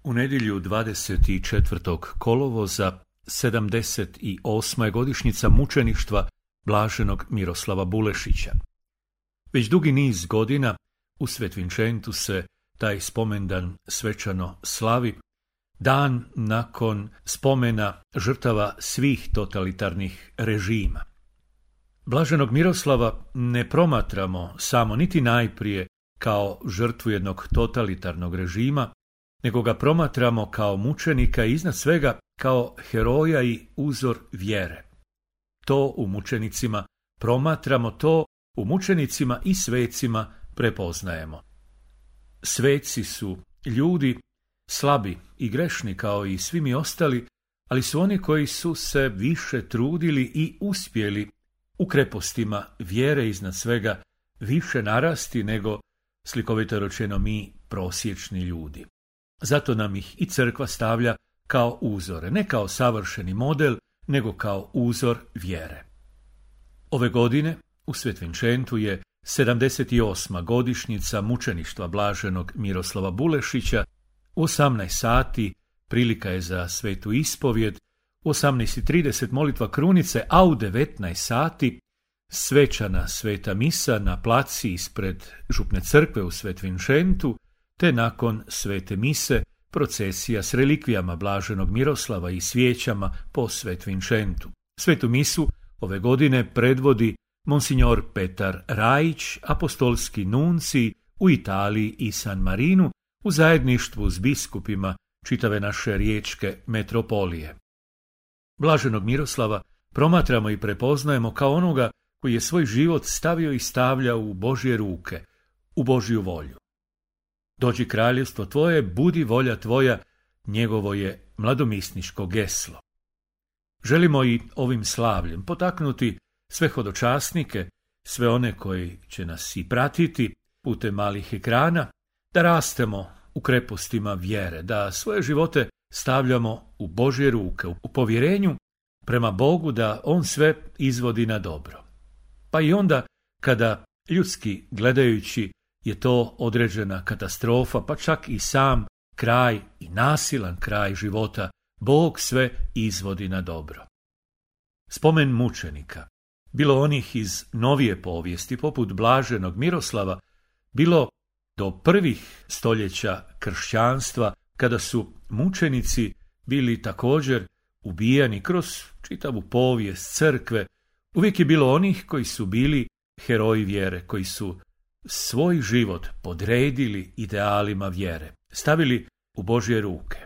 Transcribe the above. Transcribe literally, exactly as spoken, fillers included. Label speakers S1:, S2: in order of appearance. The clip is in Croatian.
S1: U nedjelju dvadeset četvrtog kolovoza sedamdeset osma je godišnjica mučeništva blaženog Miroslava Bulešića. Već dugi niz godina u Svetvinčentu se taj spomendan svečano slavi, dan nakon spomena žrtava svih totalitarnih režima. Blaženog Miroslava ne promatramo samo niti najprije kao žrtvu jednog totalitarnog režima, nego ga promatramo kao mučenika i iznad svega kao heroja i uzor vjere. To u mučenicima promatramo, to u mučenicima i svecima prepoznajemo. Sveci su ljudi slabi i grešni kao i svi mi ostali, ali su oni koji su se više trudili i uspjeli u krepostima vjere iznad svega više narasti nego, slikovito rečeno, mi prosječni ljudi. Zato nam ih i crkva stavlja kao uzore, ne kao savršeni model, nego kao uzor vjere. Ove godine u Svetvinčentu je sedamdeset osma godišnjica mučeništva blaženog Miroslava Bulešića. U osamnaest sati prilika je za svetu ispovjed, u osamnaest i trideset molitva krunice, a u devetnaest sati svečana sveta misa na placi ispred župne crkve u Svetvinčentu, te nakon svete mise procesija s relikvijama blaženog Miroslava i svijećama po Svetvinčentu. Svetu misu ove godine predvodi monsignor Petar Rajić, apostolski nuncij u Italiji i San Marinu, u zajedništvu s biskupima čitave naše riječke metropolije. Blaženog Miroslava promatramo i prepoznajemo kao onoga koji je svoj život stavio i stavlja u Božje ruke, u Božju volju. Dođi kraljevstvo tvoje, budi volja tvoja, njegovo je mladomisniško geslo. Želimo i ovim slavljem potaknuti sve hodočasnike, sve one koji će nas i pratiti putem malih ekrana, da rastemo u krepostima vjere, da svoje živote stavljamo u Božje ruke, u povjerenju prema Bogu da On sve izvodi na dobro. Pa i onda kada ljudski gledajući je to određena katastrofa, pa čak i sam kraj i nasilan kraj života, Bog sve izvodi na dobro. Spomen mučenika, bilo onih iz novije povijesti poput blaženog Miroslava, bilo do prvih stoljeća kršćanstva, kada su mučenici bili također ubijani kroz čitavu povijest crkve, uvijek je bilo onih koji su bili heroji vjere, koji su svoj život podredili idealima vjere, stavili u Božje ruke.